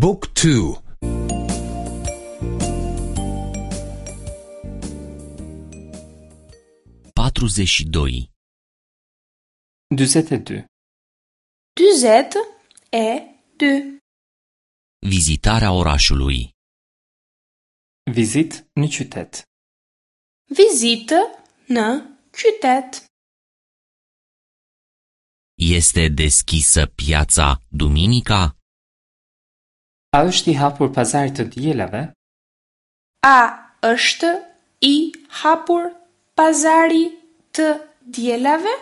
บุ๊กทู 42. 42. 42. Vizitarea orașului. Vizitë në qytet. Vizitë në qytet. Este deschisă piața duminica? A është i hapur pazari të dielave? A është i hapur pazari të dielave?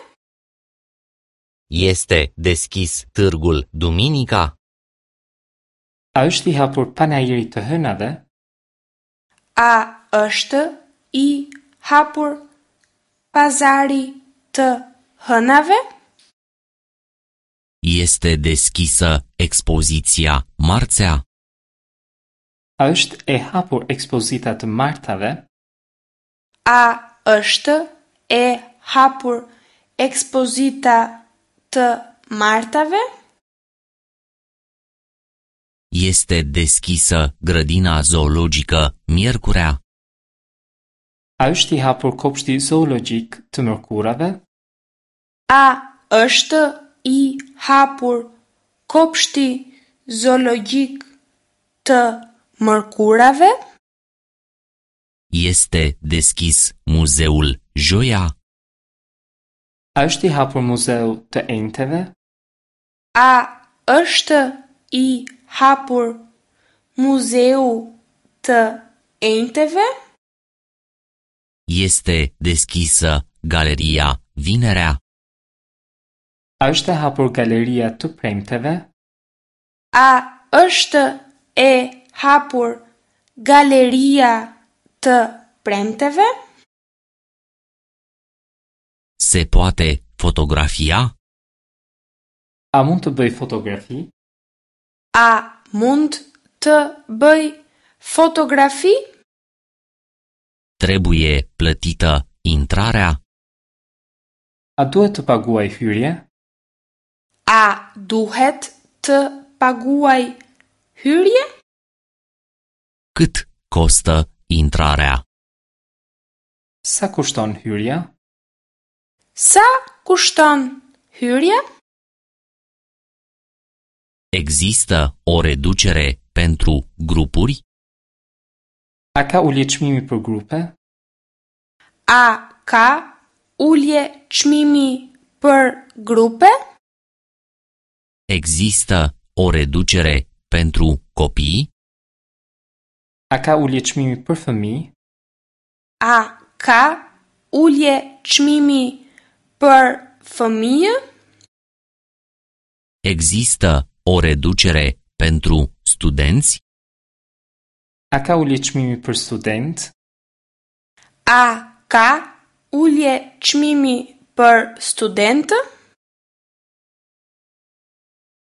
Este deschis târgul duminica? A është i hapur panairi të hënave? A është i hapur pazari të hënave? Este deschisă expoziția marțea? A është e hapur ekspozita të martave? A është e hapur ekspozita të martave? Este deschisă grădina zoologică miercurea? A është i hapur kopshti zoologjik të mërkurave? A është i hapur kopshti zoologjik të mërkurave? Este deschis muzeul joia? A është i hapur muzeu të enjteve? A është i hapur muzeu të enjteve? Este deschisă galeria vinerea? A është e hapur galeria të premteve? A është e hapur galeria të premteve? Se poate fotografia? A mund të bëj fotografi? A mund të bëj fotografi? Trebuie plătită intrarea? A duhet të paguaj hyrje? A duhet të paguaj hyrje? Cât costă intrarea? Sa kushton hyrja? Sa kushton hyrja? Există o reducere pentru grupuri? A ka ulje çmimi për grupe? A ka ulje çmimi për grupe? Există o reducere pentru copii? A ka ulje çmimi për fëmijë? A ka ulje çmimi për fëmijë? Există o reducere pentru studenți? A ka ulje çmimi për student? A ka ulje çmimi për studentë?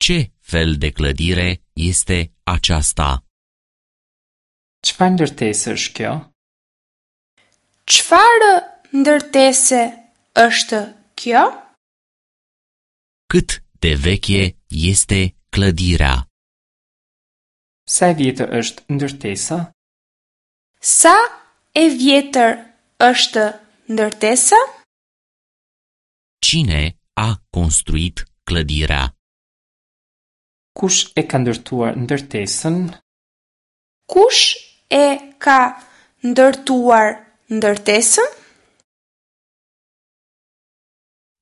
Ce fel de clădire este aceasta? Çfarë ndërtese është kjo? Çfarë ndërtese është kjo? Cât de veche este clădirea? Sa e vjetër është ndërtesa? Sa e vjetër është ndërtesa? Cine a construit clădirea? Kush e ka ndërtuar ndërtesën? Kush e ka ndërtuar ndërtesën?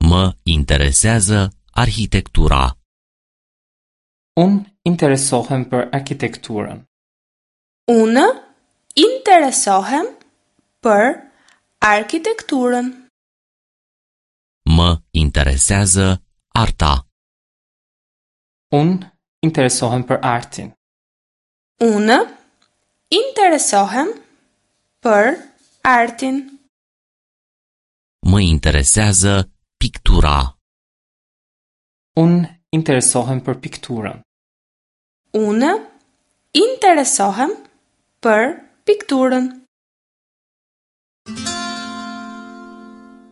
Mă interesează arhitectura. Unë interesohem për arkitekturën. Unë interesohem për arkitekturën. Mă interesează arta. Unë interesohem për artin. Unë interesohem për artin. Mă interesează pictura. Unë interesohem për pikturën. Unë interesohem për pikturën.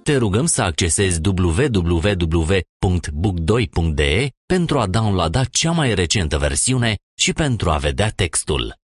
Te rugăm să accesezi www.book2.de pentru a downloada cea mai recentă versiune și pentru a vedea textul.